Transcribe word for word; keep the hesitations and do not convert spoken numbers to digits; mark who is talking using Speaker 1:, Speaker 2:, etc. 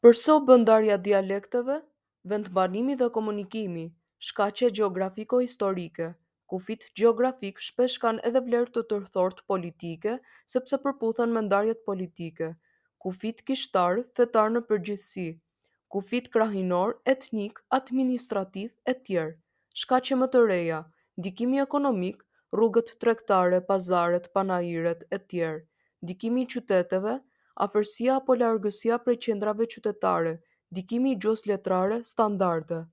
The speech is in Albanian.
Speaker 1: Përse u bë ndarja e dialekteve? Vendbanimi dhe komunikimi. Shkaqe gjeografiko-historike. Kufijtë gjeografikë shpesh kanë edhe vlerë të tërthortë politike, sepse përputhen me ndarjet politike. Kufijtë kishtarë, fetarë në përgjithësi. Kufijtë krahinorë, etnikë, administrativë etj. Shkaqe më të reja. Ndikimi ekonomik, rrugët tregtare, pazaret, panairet etj. Ndikimi i qyteteve, afërsia apo largësia prej qendrave qytetare, ndikimi i gjuhës letrare standarde.